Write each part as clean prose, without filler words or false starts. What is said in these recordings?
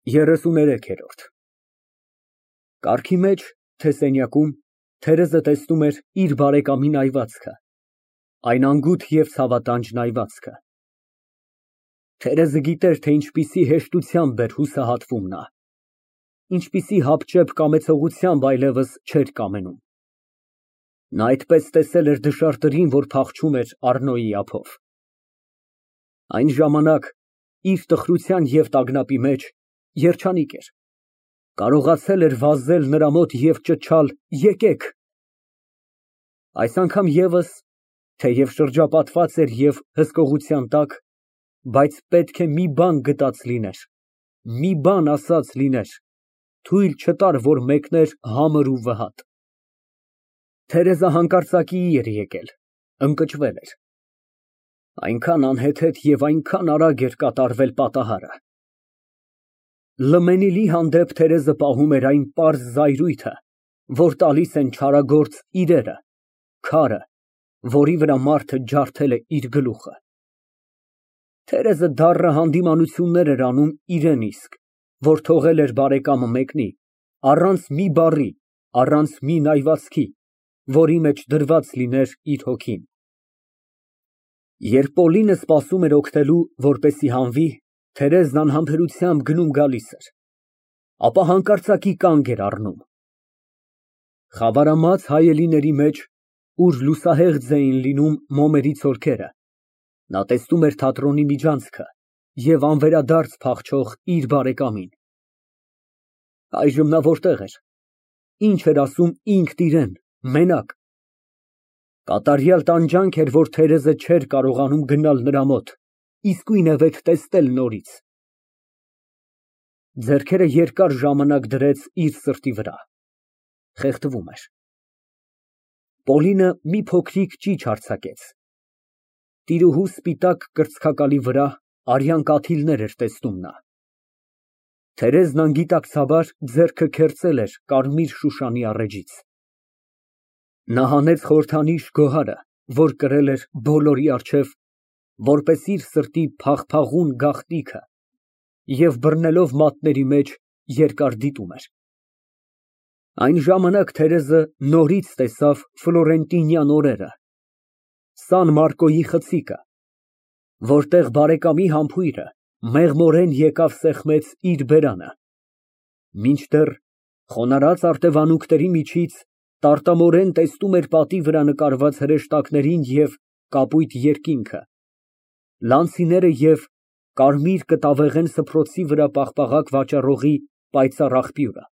33-րդ Կառքի մեջ, թե սենյակում, Թերեզը տեսնում էր իր բարեկամի նայվածքը, այն անգութ և ցավատանջ նայվածքը։ Թերեզը գիտեր, թե ինչպիսի հեշտությամբ էր հուսահատվում նա, ինչպիսի հապճեպ կամեցողությամբ այլևս չէր կամենում։ Նա այդպես տեսել էր դժարտերին, որ փախչում էր Առնոյի ափով։ Այն ժամանակ, իր տխրության և տագնապի մեջ, երջանիկ էր, կարողացել էր վազել նրա մոտ և ճչալ. «Եկեք»։ Այս անգամ ևս, թեև շրջապատված էր և հսկողության տակ, բայց պետք է մի բան գտած լիներ, մի բան ասած լիներ, թույլ չտար, որ մեկներ համր ու վհատ։ Թերեզը հանկարծակիի էր եկել, ընկճվել էր։ Այնքան անհեթեթ և այնքան արագ էր կատարվել պատահարը։ Լմենիլի հանդեպ Թերեզը պահում էր այն պարզ զայրույթը, որ տալիս են չարագործ իրերը, քարը, որի վրա մարդը ջարդել է իր գլուխը։ Թերեզը դառը հանդիմանություններ էր անում իրեն իսկ, որ թողել էր բարեկամը մեկնի, առանց մի բառի, առանց մի նայվածքի, որի մեջ դրված լիներ իր հոգին։ Երբ Պոլինը սպասում էր օգնելու, որպեսզի հանվի, Թերեզն անհամբերությամբ գնում֊գալիս էր, ապա հանկարծակի կանգ էր առնում։ Խավարամած հայելիների մեջ, ուր լուսահեղձ էին լինում մոմերի ցորքերը, նա տեսնում էր թատրոնի միջանցքը և անվերադարձ փախչող իր բարեկամին։ Այժմ նա որտե՞ղ էր, ինչ էր ասում ինքն իրան, մենակ։ Կատարյալ տանջանք էր, որ Թերեզը չէր կարողանում գնալ նրա մոտ, իսկույնևեթ տեսնել նորից։ Ձեռքերը երկար ժամանակ դրեց իր սրտի վրա, խեղդվում էր։ Պոլինը մի փոքրիկ ճիչ արձակեց։ Տիրուհու սպիտակ կրծքակալի վրա արյան կաթիլներ էր տեսնում նա։ Թերեզն անգիտակցաբար ձեռքը քերծել էր կարմիր շուշանի առեջից։ Նա հանեց խորհրդանիշ գոհարը, որ կրել էր բոլորի առջև, որպես իր սրտի փաղփաղուն գաղտնիքը, և բռնելով մատների մեջ, երկար դիտում էր։ Այն ժամանակ Թերեզը նորից տեսավ ֆլորենտինյան օրերը, Սան Մարկոյի խցիկը, որտեղ բարեկամի համբույրը մեղմորեն եկավ սեղմեց իր բերանը, մինչդեռ խոնարհած արտևանունքների միջից տարտամորեն տեսնում էր պատի վրա նկարված հրեշտակներին և կապույտ երկինքը, լանցիները և կարմիր կտավեղեն սփռոցի վրա պաղպաղակ վաճառողի պայծառ աղբյուրը։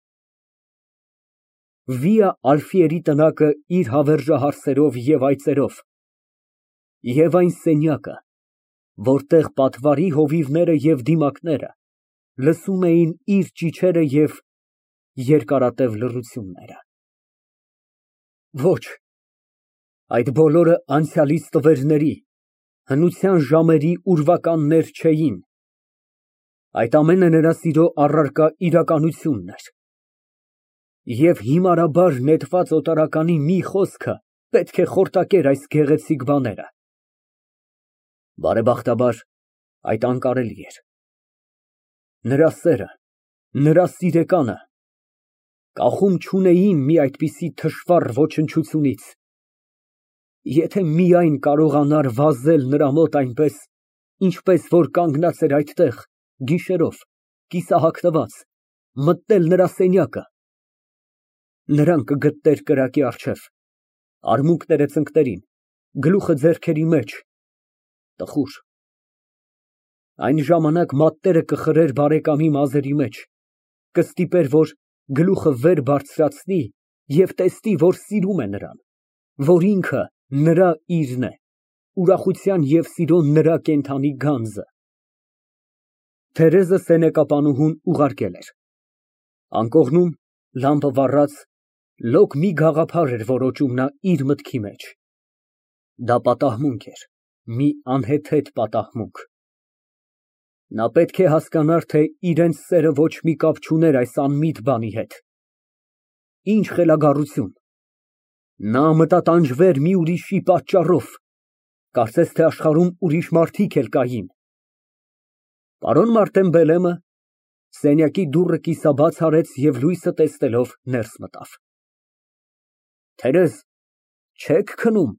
Վիա Ալֆիերի տնակը իր հավերժահարսերով և այծերով, և այն սենյակը, որտեղ պատվարի հովիվները և դիմակները լսում էին իր ճիչերը և երկարատև լռությունները։ Ոչ, այդ բոլորը անցյալից տվերների, հնության ժամերի ուրվականներ չէին, այդ ամենը նրա սիրո առարկա իրականությունն էր։ Եվ հիմարաբար նետված օտարականի մի խոսքը պետք է խորտակեր այս գեղեցիկ բաները։ Բարեբախտաբար, այդ անկարելի էր։ Նրա սերը, նրա սիրեկանը կախում չունեին մի այդպիսի թշվառ ոչնչությունից։ Եթե միայն կարողանար վազել նրա մոտ այնպես, ինչպես որ կանգնած էր այդտեղ, գիշերով, կիսահագնված, մտնել նրա սենյակը, նրան կգտներ կրակի առջև, արմունկները ծնկներին, գլուխը ձեռքերի մեջ, տխուր։ Այն ժամանակ մատները կխրեր բարեկամի մազերի մեջ, կստիպեր, որ գլուխը վեր բարձրացնի և տեսնի, որ սիրում է նրան, որ ինքը նրա իրն է, ուրախության և սիրո նրա կենդանի գանձը։ Թերեզը սենյակապանուհուն ուղարկել էր։ Անկողնում, լամպը վառած, լոկ մի գաղափար էր որոճում նա իր մտքի մեջ։ Դա պատահմունք էր, մի անհեթեթ պատահմունք։ Նա պետք է հասկանար, թե իրենց սերը ոչ մի կապ չուներ այս անմիտ բանի հետ։ Ինչ խելագարություն։ Նա մտատանջվեր մի ուրիշի պատճառով, կարծես թե աշխարհում ուրիշ մարդիկ էլ կային։ Պարոն Մարտեն Բելեմը Սենյակի դուռը կիսաբաց արեց և լույսը տեսնելով ներս մտավ։ Թերեզ, չե՞ք քնում։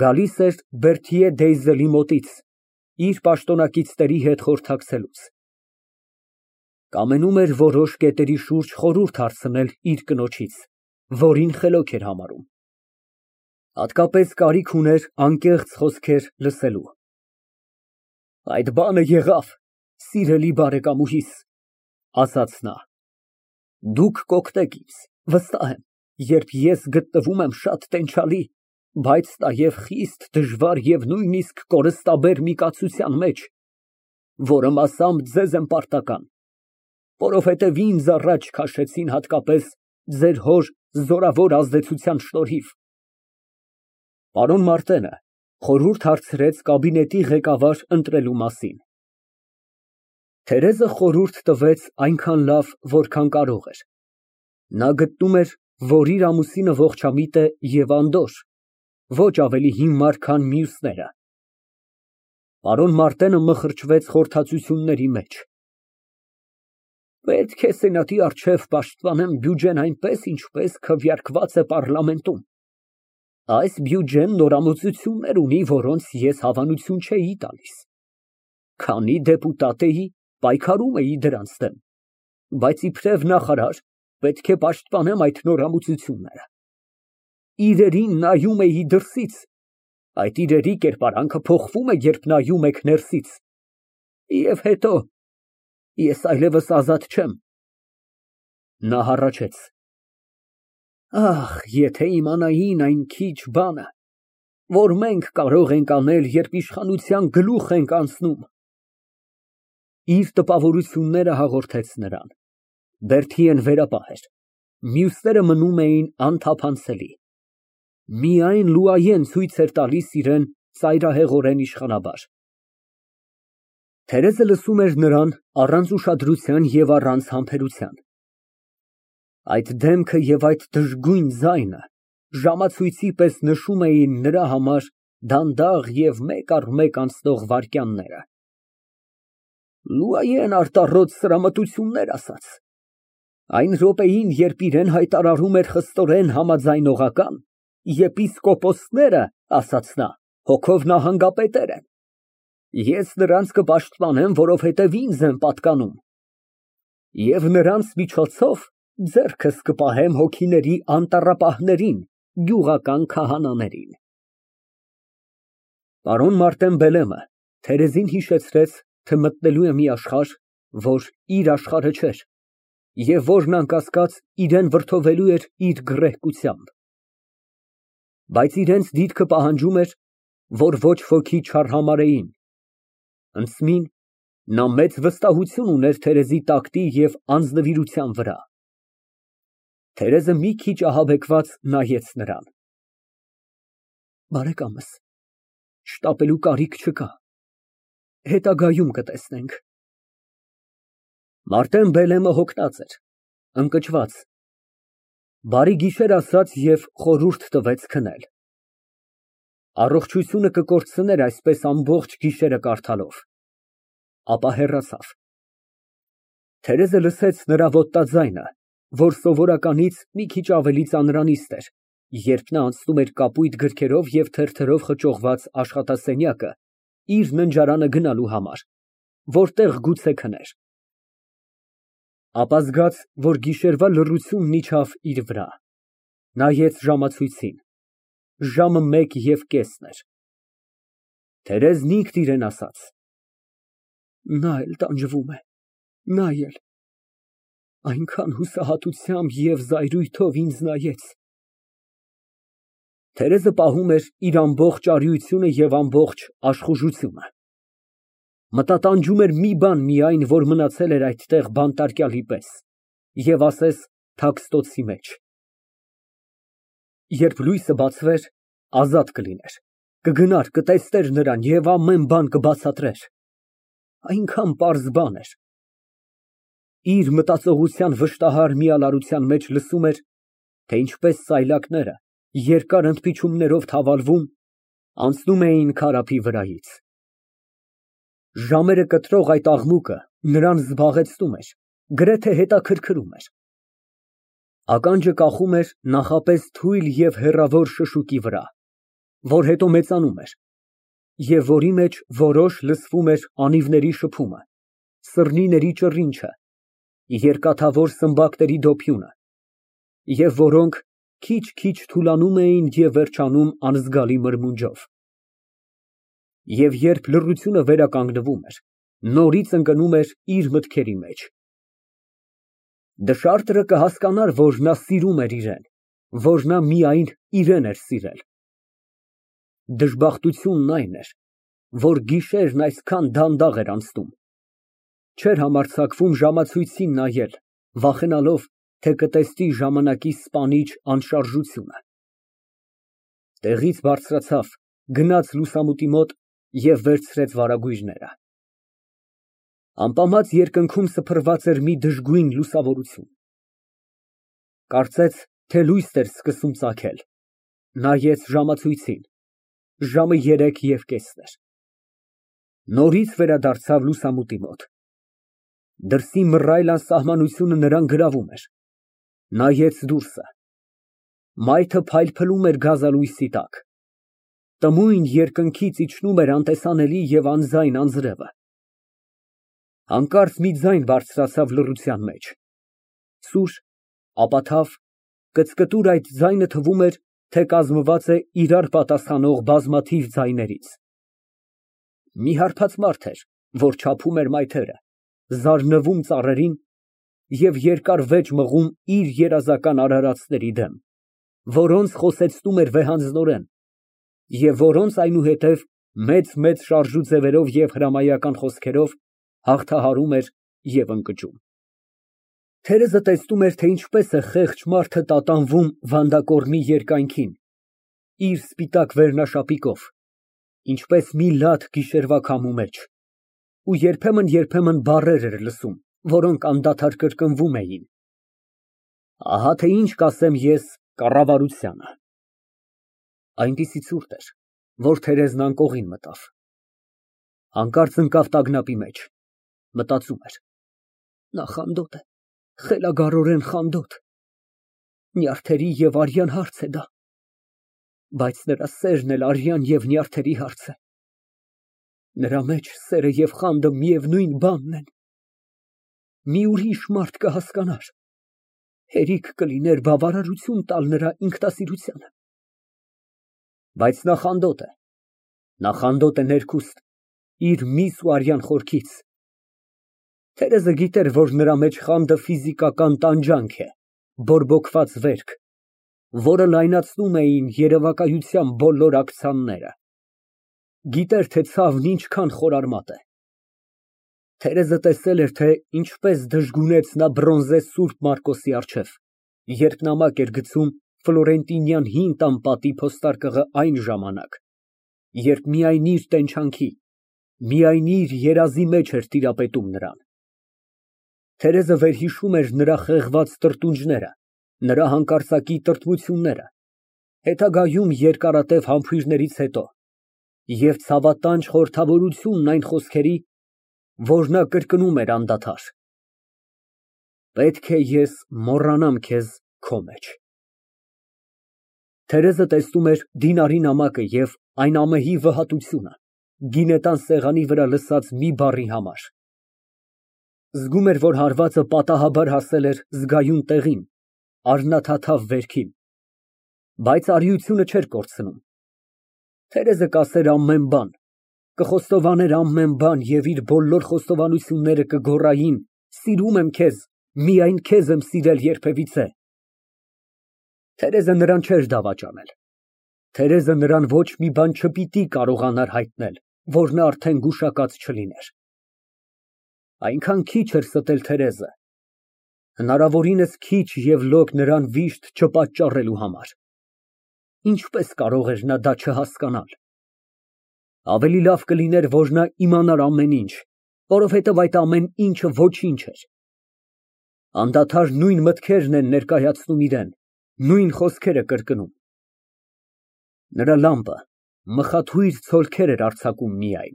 Գալիս էր Բերթիե Դեյզելի մոտից, իր պաշտոնակիցների հետ խորհրդակցելուց։ Կամենում էր որոշ կետերի շուրջ խորհուրդ հարցնել իր կնոջից, որին խելոք էր համարում։ Հատկապես կարիք ուներ անկեղծ խոսքեր լսելու։ Այդ բանը եղավ, սիրելի բարեկամուհիս, ասաց նա։ Դուք կօգնեք ինձ, վստահ եմ, երբ ես գտնվում եմ շատ տենչալի, բայց նաև խիստ դժվար և նույնիսկ կորստաբեր մի կացության մեջ, որը մասամբ ձեզ եմ պարտական, որովհետև ինձ առաջ քաշեցին հատկապես ձեր հոր զորավոր ազդեցության շնորհիվ։ Պարոն Մարտենը խորհուրդ հարցրեց կաբինետի ղեկավար ընտրելու մասին։ Թերեզը խորհուրդ տվեց այնքան լավ, որքան կարող էր։ Նա գտնում էր, որ իր ամուսինը ողջամիտ է և անդորր, ոչ ավելի հիմար, քան մյուսները։ Պարոն Մարտենը մխրճվեց խորհրդածությունների մեջ։ Պետք է սենատի առջև պաշտպանեմ բյուջեն այնպես, ինչպես քվեարկված է պառլամենտում։ Այս բյուջեն նորամուծություններ ունի, որոնց ես հավանություն չէի տալիս։ Քանի դեպուտատ էի, պայքարում էի դրանց դեմ, բայց իբրև նախարար պետք է պաշտպանեմ այդ նորամուծությունները։ Իրերին նայում էի դրսից, այդ իրերի կերպարանքը փոխվում է, երբ նայում եք ներսից։ Եվ հետո, ես այլևս ազատ չեմ։ Նա հառաչեց. Ախ, եթե իմանային այն քիչ բանը, որ մենք կարող ենք անել, երբ իշխանության գլուխ ենք անցնում։ Իր տպավորությունները հաղորդեց նրան։ Բերթիեն վերապահ էր, մյուսները մնում էին անթափանցելի։ Միայն Լուայեն ցույց էր տալիս իրեն ծայրահեղորեն իշխանաբար։ Թերեզը լսում էր նրան առանց ուշադրության և առանց համբերության։ Այդ դեմքը և այդ դժգույն ձայնը ժամացույցի պես նշում էին նրա համար դանդաղ և մեկ առ մեկ անցնող վայրկյանները։ Լուայեն արտառոտ սրամտություններ ասաց։ Այն րոպեին, երբ իրեն հայտարարում էր խստորեն համաձայնողական, եպիսկոպոսները, ասաց նա, հոգով նահանգապետեր են։ Ես նրանց կպաշտպանեմ, որովհետև ինձ են պատկանում։ Եվ նրանց միջոցով ձեռքս կպահեմ հոգիների անտառապահներին, գյուղական քահանաներին։ Պարոն Մարտեն Բելեմը Թերեզին հիշեցրեց, թե մտնելու է մի աշխարհ, որ իր աշխարհը չէր, և որն անկասկած իրան վրդովելու էր իր գռեհկությամբ։ Բայց իրենց դիրքը պահանջում էր, որ ոչ ոքի չարհամարհեին։ Ընդսմին նա մեծ վստահություն ուներ Թերեզի տակտի և անձնվիրության վրա։ Թերեզը մի քիչ ահաբեկված նայեց նրան։ Բարեկամս, շտապելու կարիք չկա, հետագայում կտեսնենք։ Մարտեն Բելեմը հոգնած էր, ընկճված։ Բարի գիշեր ասաց և խորհուրդ տվեց քնել։ Առողջությունը կկորցներ այսպես ամբողջ գիշերը կարդալով։ Ապա հեռացավ։ Թերեզը լսեց նրա ոտնաձայնը, որ սովորականից մի քիչ ավելի ծանրանիստ էր, երբ նա անցնում էր կապույտ գրքերով և թերթերով խճողված աշխատասենյակը իր ննջարանը գնալու համար, որտեղ գուցե քներ։ Ապա զգաց, որ գիշերվա լռությունն իջավ իր վրա, նայեց ժամացույցին։ Ժամը 1:15 էր։ Թերեզն ինքն իրեն ասաց. Նա էլ տանջվում է, նա էլ այնքան հուսահատությամբ և զայրույթով ինձ նայեց։ Թերեզը պահում էր իր ամբողջ արիությունը և ամբողջ աշխուժությունը։ Մտատանջում էր մի բան միայն, որ մնացել էր այդտեղ բանտարկյալի պես և ասես թաքստոցի մեջ։ Երբ լույսը բացվեր, ազատ կլիներ, կգնար, կտեսներ նրան և ամեն բան կբացատրեր։ Այնքան պարզ բան էր։ Իր մտածողության վշտահար միալարության մեջ լսում էր, թե ինչպես սայլակները, երկար ընդմիջումներով թավալվում, անցնում էին քարափի վրայից։ Ժամերը կտրող այդ աղմուկը նրան զբաղեցնում էր, գրեթե հետաքրքրում էր։ Ականջը կախում էր նախապես թույլ և հեռավոր շշուկի վրա, որ հետո մեծանում էր, և որի մեջ որոշ լսվում էր անիվների շփումը, սռնիների ճռինչը, երկաթավոր սմբակների դոփյունը, և որոնք քիչ֊քիչ թուլանում էին և վերջանում անզգալի մրմունջով։ Եվ երբ լռությունը վերականգնվում էր, նորից ընկնում էր իր մտքերի մեջ։ Դշարտրը կհասկանար, որ նա սիրում էր իրեն, որ նա միայն իրեն էր սիրել։ Դժբախտությունն այն էր, որ գիշերն այսքան դանդաղ էր անցնում, չէր համարձակվում ժամացույցին նայել, վախենալով, թե կտեսնի ժամանակի սպանիչ անշարժությունը։ Տեղից բարձրացավ, գնաց լուսամուտի մոտ և վերցրեց վարագույրները։ Ամպամած երկնքում սփռված էր մի դժգույն լուսավորություն։ Կարծեց, թե լույս էր սկսում ծագել, նայեց ժամացույցին, ժամը 3:30 էր։ Նորից վերադարձավ լուսամուտի մոտ։ Դրսի մռայլ անսահմանությունը նրան գրավում էր։ Նայեց դուրսը։ Մայթը փայլփլում էր գազալույսի տակ։ Տմույն երկնքից իջնում էր անտեսանելի և անձայն անձրևը։ Հանկարծ մի ձայն բարձրացավ լռության մեջ, սուր, ապաթավ, կծկտուր այդ ձայնը թվում էր, թե կազմված է իրար պատասխանող բազմաթիվ ձայներից։ Մի հարբած մարդ էր, որ չափում էր մայթերը, զարնվում ծառերին և երկար վեճ մղում իր երազական արարածների դեմ, որոնց խոսեցնում էր վեհանձնորեն և որոնց այնուհետև մեծ շարժու ձևերով և հրամայական խոսքերով հաղթահարում էր և ընկճում։ Թերեզը տեսնում էր, թե ինչպես է խեղճ մարդը տատանվում վանդակոռնի երկայնքին իր սպիտակ վերնաշապիկով, ինչպես մի լաց գիշերվա քամու մեջ, ու երբեմն բառեր էր լսում, որոնք անդադար կրկնվում էին. «Ահա թե ինչ կասեմ ես կառավարությանը»։ Այնպիսի ցուրտ էր, որ Թերեզն անկողին մտավ։ Հանկարծ ընկավ տագնապի մեջ, մտածում էր. նա խանդոտ է, խելագարորեն խանդոտ, նյարդերի և արյան հարց է դա, բայց նրա սերն էլ արյան և նյարդերի հարց է։ Նրա մեջ սերը և խանդը միևնույն բանն են։ Մի ուրիշ մարդ կհասկանար, հերիք կլիներ բավարարություն տալ նրա ինքնասիրությանը։ Բայց նա խանդոտ է ներքուստ, իր միս ու արյան խորքից։ Թերեզը գիտեր, որ նրա մեջ խանդը ֆիզիկական տանջանք է, բորբոքված վերք, որը լայնացնում էին երևակայության բոլոր ակցիաները։ Գիտեր, թե ցավն ինչքան խորարմատ է։ Թերեզը տեսել էր, թե ինչպես դժգունեց նա բրոնզե Սուրբ Մարկոսի առջև, երբ նամակ էր գցում ֆլորենտինյան հին տան պատի փոստարկղը այն ժամանակ, երբ միայն իր տենչանքի, միայն իր երազի մեջ էր տիրապետում նրան։ Թերեզը վերհիշում էր նրա խեղված տրտունջները, նրա հանկարծակի տրտմությունները, հետագայում երկարատև համբույրներից հետո, և ցավատանջ խորհրդավորությունն այն խոսքերի, որ նա կրկնում էր անդադար. «Պետք է ես մոռանամ քեզ քո մեջ»։ Թերեզը տեսնում էր դինարի նամակը և այն ամեհի վհատությունը գինետան սեղանի վրա լսած մի բառի համար։ Զգում էր, որ հարվածը պատահաբար հասել էր զգայուն տեղին, առնաթաթավ վերքին, բայց արիությունը չէր կորցնում։ Թերեզը կասեր ամեն բան, կխոստովաներ ամեն բան և իր բոլոր խոստովանությունները կգոռային. «Սիրում եմ քեզ, միայն քեզ եմ սիրել երբևիցե»։ Թերեզը նրան չէր դավաճանել։ Թերեզը նրան ոչ մի բան չպիտի կարողանար հայտնել, որ նա արդեն գուշակած չլիներ։ Այնքան քիչ էր ստել Թերեզը, հնարավորինս քիչ և լոկ նրան վիշտ չպատճառելու համար։ Ինչպես կարող էր նա դա չհասկանալ։ Ավելի լավ կլիներ, որ նա իմանար ամեն ինչ, որովհետև այդ ամեն ինչը ոչինչ էր։ Անդադար նույն մտքերն են ներկայացնում իրան, նույն խոսքերը կրկնում։ Նրա լամպը մխաթույր ցոլքեր էր արձակում միայն։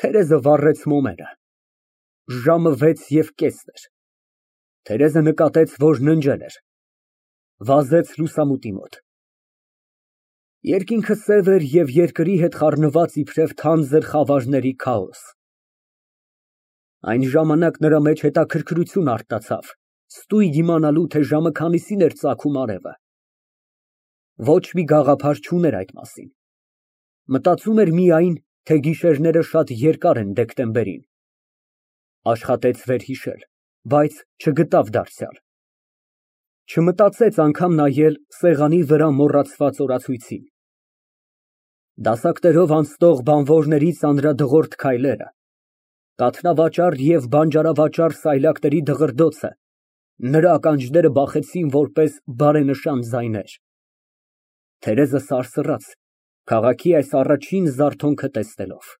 Թերեզը վառեց մոմերը։ Ժամը 6:30 էր։ Թերեզը նկատեց, որ ննջել էր։ Վազեց լուսամուտի մոտ։ Երկինքը սև էր և երկրի հետ խառնված իբրև թանձր խավարների քաոս։ Այն ժամանակ նրա մեջ հետաքրքրություն արթնացավ, ստույգ իմանալու, թե ժամը քանիսին էր ծագում արևը։ Ոչ մի գաղափար չուներ այդ մասին։ Մտածում էր միայն, թե գիշերները շատ երկար են դեկտեմբերին։ Աշխատեց վերհիշել, բայց չգտավ դարձյալ։ Չմտածեց անգամ նայել սեղանի վրա մոռացված օրացույցին։ Դասակներով անցնող բանվորների ծանրադղրդի քայլերը, կաթնավաճառ և բանջարավաճառ սայլակների դղրդոցը նրա ականջները բախեցին որպես բարենշան ձայներ։ Թերեզը սարսռաց քաղաքի այս առաջին զարթոնքը տեսնելով։